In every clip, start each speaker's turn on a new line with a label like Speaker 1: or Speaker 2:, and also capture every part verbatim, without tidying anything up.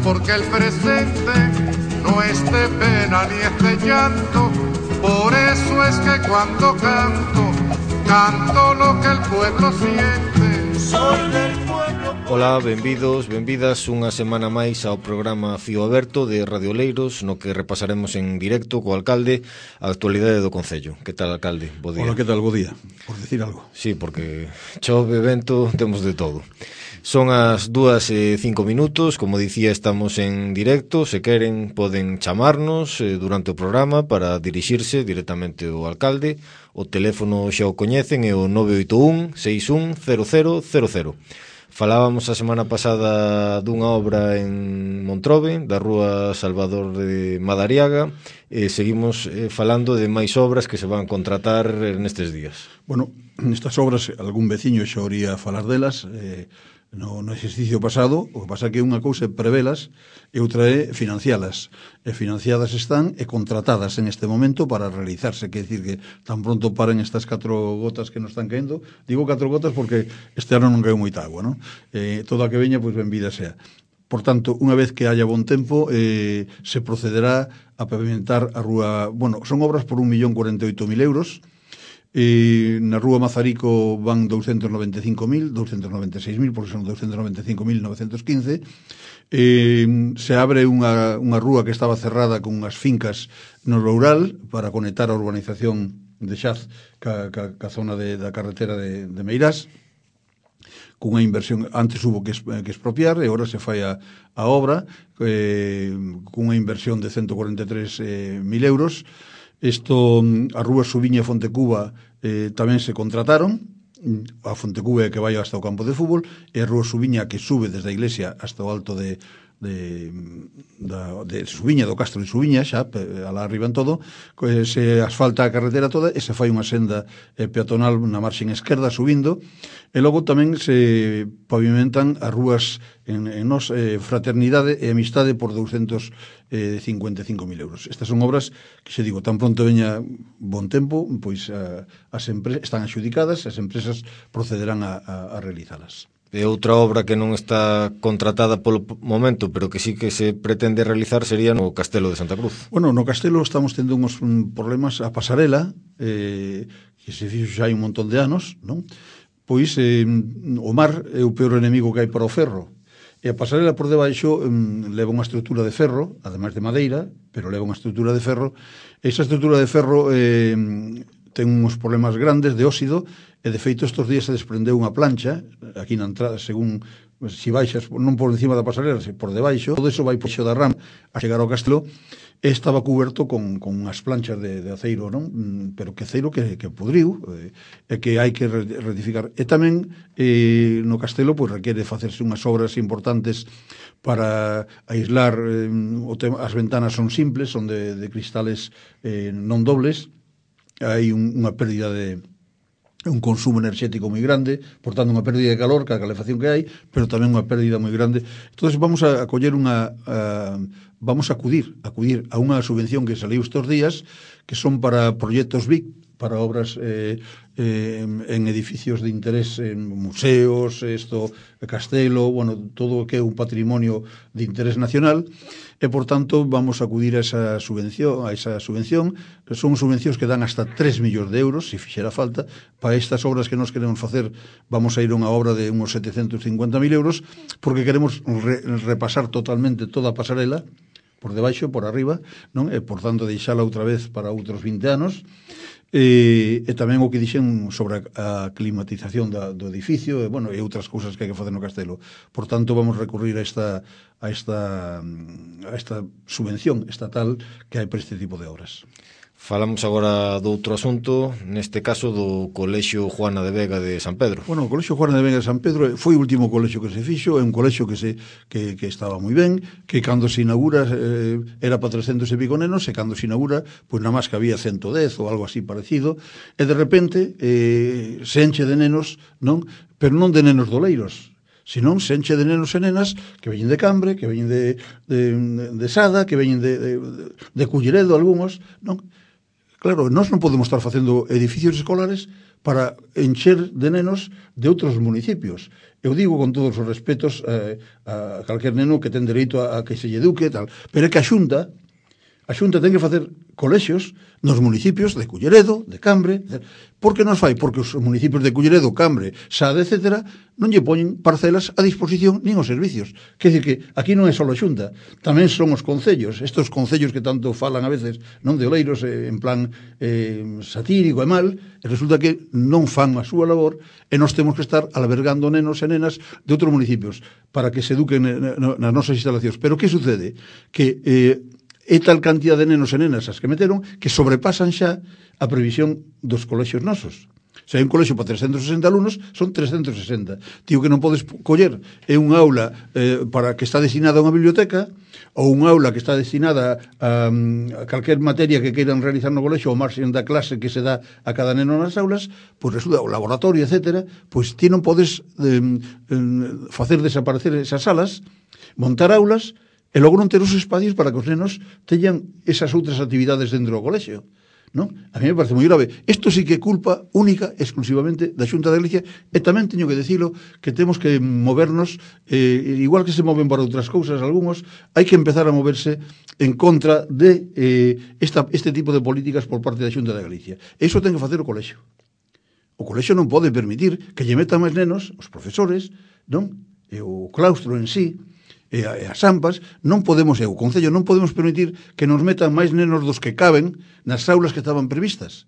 Speaker 1: porque el presente no es de pena ni es de llanto. Por eso es que cuando canto, canto lo que el pueblo siente. Soy del pueblo.
Speaker 2: Ola, benvidos, benvidas unha semana máis ao programa Fío Aberto de Radio Oleiros, no que repasaremos en directo co alcalde a actualidade do Concello. Que tal, alcalde? Bo día.
Speaker 3: Hola, que tal? Bo día, por decir algo.
Speaker 2: Sí, porque chove, vento, temos de todo. Son as dúas e cinco minutos, como dicía, estamos en directo. Se queren, poden chamarnos eh, durante o programa para dirixirse directamente ao alcalde. O teléfono xa o coñecen, é o nove oito un, seis un, cero cero cero cero. Falábamos a semana pasada dunha obra en Montrobe, da rúa Salvador de Madariaga, e seguimos eh, falando de máis obras que se van contratar nestes días.
Speaker 3: Bueno, nestas obras, algún veciño xa oría falar delas, eh, no, no exercicio pasado. O que pasa que unha cousa é prevelas e outra é financialas. E financiadas están e contratadas en este momento para realizarse. Quer decir que tan pronto paren estas catro gotas que nos están caendo. Digo catro gotas porque este ano non caeu moita agua, non? Eh, toda a que veña, pois benvida sea. Por tanto, unha vez que haya bon tempo, eh, se procederá a pavimentar a rúa. Bueno, son obras por un millón cuarenta e oito mil euros. E na rúa Mazarico van doscientos noventa e cinco mil, doscientos noventa e seis mil, porque son doscientos noventa e cinco mil novecentos quince. E se abre unha, unha rúa que estaba cerrada con unhas fincas no rural para conectar a urbanización de Xaz ca, ca, ca zona de, da carretera de, de Meirás, cunha inversión. Antes hubo que, que expropiar e agora se fai a, a obra eh, cunha inversión de ciento cuarenta e tres mil euros. Isto, a rúa Subiña e Fontecuba eh, tamén se contrataron. A Fontecuba que vai hasta o campo de fútbol, e a rúa Subiña que sube desde a iglesia hasta o alto de de, da, de Subiña, do Castro de Subiña, xa, alá arriba en todo, se asfalta a carretera toda e se fai unha senda eh, peatonal na marxen esquerda subindo, e logo tamén se pavimentan as rúas en, en nos, eh, Fraternidade e Amistade por doscientos cincuenta e cinco mil euros. Estas son obras que, xe digo, tan pronto veña bon tempo, pois a, as empresas están adxudicadas, as empresas procederán a, a, a realizalas.
Speaker 2: E outra obra que non está contratada polo momento, pero que sí que se pretende realizar, sería no Castelo de Santa Cruz.
Speaker 3: Bueno, no Castelo estamos tendo uns problemas. A pasarela, eh, que se fixo xa hai un montón de anos, non? Pois eh, o mar é o peor enemigo que hai para o ferro. E a pasarela por debaixo eh, leva unha estrutura de ferro, ademais de madeira, pero leva unha estrutura de ferro. Esa estrutura de ferro eh, ten uns problemas grandes de óxido, e de feito estes días se desprendeu unha plancha aquí na entrada, según si baixas non por encima da pasarela, se por debaixo, todo eso vai por xo da ram a chegar ao castelo, e estaba cuberto con, con unhas planchas de, de aceiro, non? Pero que aceiro que, que pudriu, e eh, que hai que rectificar. E tamén eh, no castelo pois requiere facerse unhas obras importantes para aislar eh, o tema. As ventanas son simples, son de, de cristales eh, non dobles. Hai un, unha pérdida de un consumo enerxético moi grande, por tanto unha pérdida de calor, que a calefacción que hai, pero tamén unha pérdida moi grande. Entón vamos a, a coller unha a, vamos a acudir acudir a unha subvención que saliu estes días, que son para proxectos B I C, para obras eh, eh, en edificios de interés, en museos, esto, castelo, bueno, todo o que é un patrimonio de interés nacional, e por tanto vamos a acudir a esa subvención, a esa subvención. Son subvencións que dan hasta tres millóns de euros, se fixera falta. Para estas obras que nos queremos facer, vamos a ir a unha obra de uns setecentos cincuenta mil euros, porque queremos re, repasar totalmente toda a pasarela, por debaixo, por arriba, non? E por tanto deixala outra vez para outros vinte anos. E, e tamén o que dixen sobre a, a climatización da, do edificio, e, bueno, e outras cousas que hai que facer no castelo. Por tanto, vamos recurrir a esta, a esta, a esta subvención estatal que hai para este tipo de obras.
Speaker 2: Falamos agora do outro asunto, neste caso do Colexio Juana de Vega de San Pedro.
Speaker 3: Bueno, o Colexio Juana de Vega de San Pedro foi o último colexio que se fixo, é un colexio que se que, que estaba moi ben, que cando se inaugura eh, era para trescentos e pico nenos, e cando se inaugura, pois nada máis que había ciento dez ou algo así parecido, e de repente eh, se enche de nenos, non? Pero non de nenos doleiros, senón se enche de nenos e nenas que veñen de Cambre, que veñen de, de, de Sada, que veñen de, de, de Culleredo, algúns, non? Claro, nós non podemos estar facendo edificios escolares para encher de nenos de outros municipios. Eu digo con todos os respetos eh, a calquer neno que ten dereito a, a que se lle eduque e tal, pero é que a Xunta a Xunta ten que facer colexios nos municipios de Culleredo, de Cambre. Por que nos fai? Porque os municipios de Culleredo, Cambre, Sade, etcétera, non lle poñen parcelas a disposición nin os servicios. Quer dizer que aquí non é só a Xunta, tamén son os concellos, estos concellos que tanto falan a veces, non de oleiros, eh, en plan eh, satírico e mal, e resulta que non fan a súa labor e nós temos que estar albergando nenos e nenas de outros municipios para que se eduquen nas nosas instalacións. Pero que sucede? Que eh, é tal cantidad de nenos e nenas as que meteron que sobrepasan xa a previsión dos colexios nosos. Se hai un colexio para trescentos sesenta alumnos, son trescentos sesenta. Tío que non podes coller é un aula eh, para que está destinada a unha biblioteca ou un aula que está destinada a, a calquer materia que queiran realizar no colexio ou marxen da clase que se dá a cada neno nas aulas, pois resulta o laboratorio, etcétera, pois ti non podes eh, eh, facer desaparecer esas salas, montar aulas e logo non ter os espacios para que os nenos teñan esas outras actividades dentro do colexio, non? A mí me parece moi grave. Isto sí que é culpa única, exclusivamente, da Xunta de Galicia, e tamén teño que decilo que temos que movernos, eh, igual que se moven para outras cousas algúns, hai que empezar a moverse en contra de eh, esta, este tipo de políticas por parte da Xunta de Galicia. E iso ten que facer o colexio. O colexio non pode permitir que lle metan máis nenos, os profesores, non? E o claustro en sí, e as AMPAs, non podemos, e o Concello non podemos permitir que nos metan máis nenos dos que caben nas aulas que estaban previstas,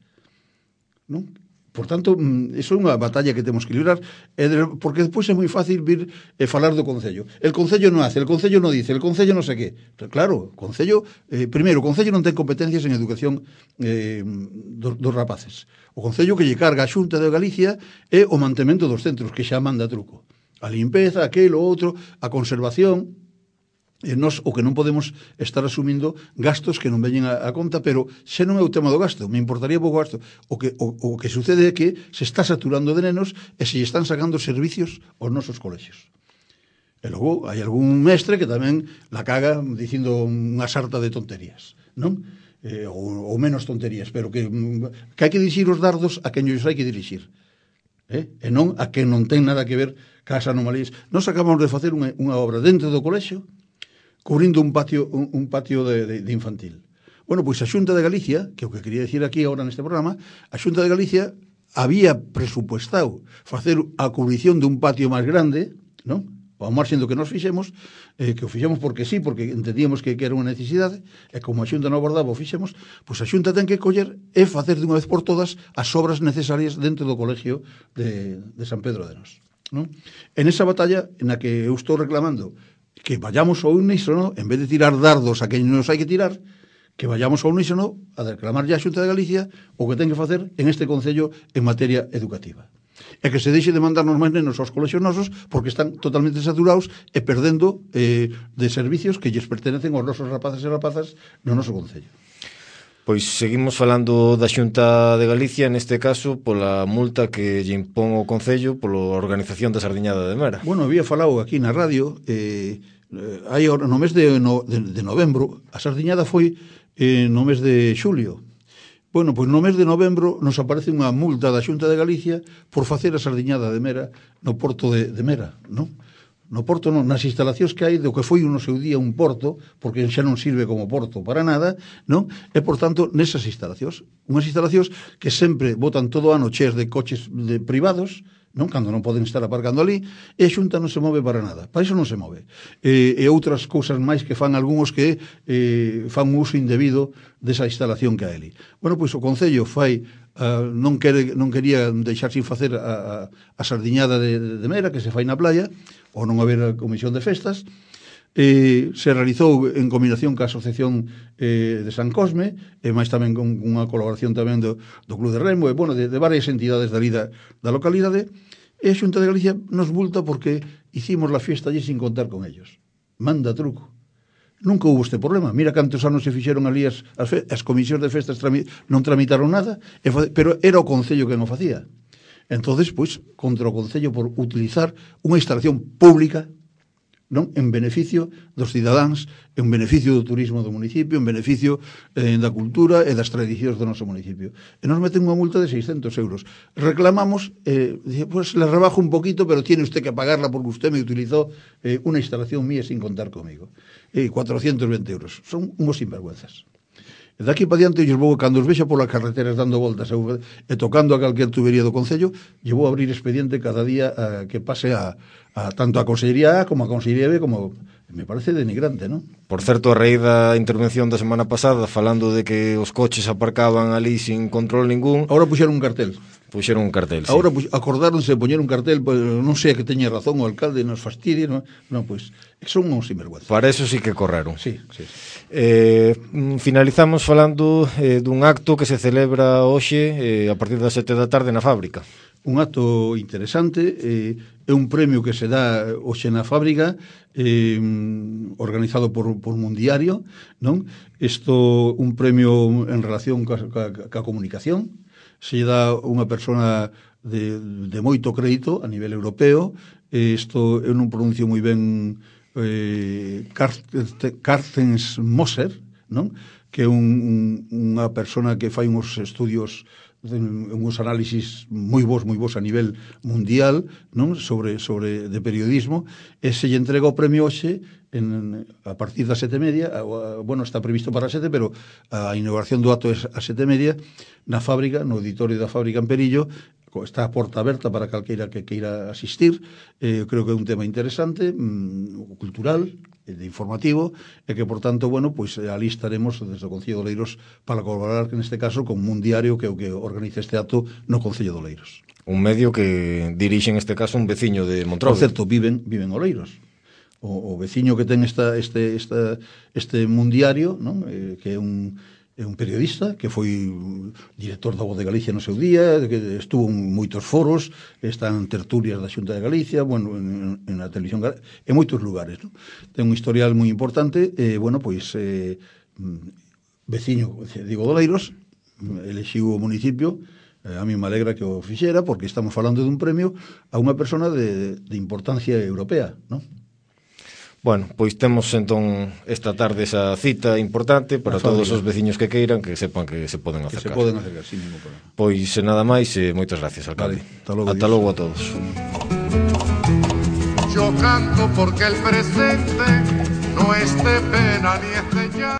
Speaker 3: non? Por tanto, iso é unha batalla que temos que librar, porque despois é moi fácil vir e falar do Concello. El Concello non hace, el Concello non dice, el Concello non sei que. Claro, o Concello, eh, primeiro, o Concello non ten competencias en educación eh, dos, dos rapaces. O Concello que lle carga a Xunta de Galicia é o mantemento dos centros, que xa manda truco. A limpeza, aquilo, outro, a conservación, e nos o que non podemos estar asumindo gastos que non veñen a, a conta, pero xa non é o tema do gasto, me importaría pouco gasto. O que, o, o que sucede é que se está saturando de nenos e se están sacando servicios aos nosos colexios. E logo hai algún mestre que tamén la caga dicindo unha sarta de tonterías, non? Eh, ou, ou menos tonterías, pero que, que hai que dirixir os dardos a quen os hai que dirixir. Eh? E non a que non ten nada que ver cas anomalías. Nos acabamos de facer unha, unha obra dentro do colexio cubrindo un patio un, un patio de, de, de infantil. Bueno, pois a Xunta de Galicia, que é o que quería decir aquí agora neste programa, a Xunta de Galicia había presupuestado facer a cubrición dun patio máis grande, non? Ao marxen do que nos fixemos, eh, que o fixemos porque sí, porque entendíamos que, que era unha necesidade, e como a Xunta non abordaba o fixemos, pois a Xunta ten que coller e facer de unha vez por todas as obras necesarias dentro do colexio de, de San Pedro de Nos. Non? En esa batalla na que eu estou reclamando que vayamos ao unísono, en vez de tirar dardos a quen nos hai que tirar, que vayamos ao unísono a reclamar ya a Xunta de Galicia o que ten que facer en este Concello en materia educativa. E que se deixe de mandarnos máis nenos aos colexios nosos porque están totalmente saturados e perdendo eh, de servicios que lles pertenecen aos nosos rapaces e rapazas no noso Concello.
Speaker 2: Pois seguimos falando da Xunta de Galicia, neste caso, pola multa que lle impón o Concello pola organización da Sardiñada de Mera.
Speaker 3: Bueno, había falado aquí na radio, eh, eh, hai no mes de, no, de, de novembro, a Sardiñada foi eh, no mes de xulio. Bueno, pois no mes de novembro nos aparece unha multa da Xunta de Galicia por facer a Sardiñada de Mera no porto de, de Mera, non? No porto non, nas instalacións que hai do que foi no seu día un porto, porque xa non sirve como porto para nada, non? E, por tanto, nesas instalacións, unhas instalacións que sempre botan todo o ano cheias de coches de privados, non? Cando non poden estar aparcando ali, e a Xunta non se move para nada, para iso non se move. E, e outras cousas máis que fan algúns que eh, fan un uso indebido desa instalación que hai ali. Bueno, pois o Concello fai Uh, non, quere, non quería deixar sin facer a, a, a sardiñada de, de Mera que se fai na playa, ou non haber a comisión de festas, eh, se realizou en combinación ca Asociación eh, de San Cosme, e máis tamén con unha colaboración tamén do, do Club de Remo, e bueno, de, de varias entidades da lida da localidade, e a Xunta de Galicia nos multa porque hicimos la fiesta allí sin contar con ellos. Manda truco. Nunca hubo este problema. Mira cantos anos se fixeron ali as, as, fe, as comisións de festas trami, non tramitaron nada, e, pero era o Concello que non facía. Entonces, pois, contra o Concello por utilizar unha instalación pública non? En beneficio dos cidadáns, en beneficio do turismo do municipio, en beneficio eh, da cultura e das tradicións do noso municipio. E nos meten unha multa de seiscentos euros. Reclamamos, eh, dice, pues le rebajo un poquito, pero tiene usted que pagarla porque usted me utilizó eh, una instalación mía sin contar conmigo. E eh, cuatrocientos veinte euros. Son unhos sinvergüenzas. E daqui para diante, eu vou, cando os vexa polas carreteras dando voltas e tocando a calquer tubería do Concello, lle vou abrir expediente cada día a, que pase a, a tanto a Consellería A como a Consellería B, como me parece denigrante, non?
Speaker 2: Por certo, a raíz da intervención da semana pasada, falando de que os coches aparcaban ali sin control ningún,
Speaker 3: ahora puxeron un cartel.
Speaker 2: Puxeron un cartel, sí.
Speaker 3: Ahora pues, acordáronse de poñer un cartel, pues, non sei que teña razón o alcalde, nos fastidie, non, non pois, son uns sinvergüenzas.
Speaker 2: Para eso sí que correron.
Speaker 3: Sí, sí.
Speaker 2: Eh, finalizamos falando eh, dun acto que se celebra hoxe eh, a partir das sete da tarde na fábrica.
Speaker 3: Un acto interesante, eh, é un premio que se dá hoxe na fábrica, eh, organizado por, por Mundiario, non? Isto, un premio en relación ca, ca, ca comunicación, se dá unha persona de, de moito crédito a nivel europeo. Isto eu non pronuncio moi ben eh, Carstens Moser, non? Que é un, un, unha persona que fai uns estudios, uns análisis moi bons, moi bons a nivel mundial, non? Sobre, sobre de periodismo, e se lle entrega o premio hoxe en, a partir das sete e media, a, a, bueno, está previsto para as sete, pero a inauguración do acto é a sete e media, na fábrica, no auditorio da fábrica en Perillo. Está a porta aberta para calqueira que queira asistir. Eh, creo que é un tema interesante, mmm, cultural, de informativo, e que, por tanto, bueno, pois ali estaremos desde o Concello de Oleiros para colaborar, que neste caso, con Mundiario, que é o que organiza este acto no Concello de Oleiros.
Speaker 2: Un medio que dirixe, en este caso, un veciño de Montrode.
Speaker 3: Por certo, viven, viven Oleiros. O, o veciño que ten esta, este, esta, este Mundiario, non? Eh, que é un... é un periodista que foi director da Voz de Galicia no seu día, que estuvo en moitos foros, está en tertulias da Xunta de Galicia, bueno, en, en a televisión, en moitos lugares, ¿no? Ten un historial moi importante, e, eh, bueno, pois, eh, veciño, digo, de Oleiros, elexiu o municipio, eh, a mí me alegra que o fixera, porque estamos falando dun premio a unha persona de, de importancia europea, ¿no?
Speaker 2: Bueno, pois temos entón esta tarde esa cita importante para todos os veciños que queiran, que sepan que se poden acercar.
Speaker 3: Que se poden acercar, sin ningún problema.
Speaker 2: Pois nada máis, e moitas gracias, alcalde.
Speaker 3: Vale, hasta logo,
Speaker 2: Ata logo a todos.
Speaker 1: Yo canto porque el presente no es de pena ni es de llanto.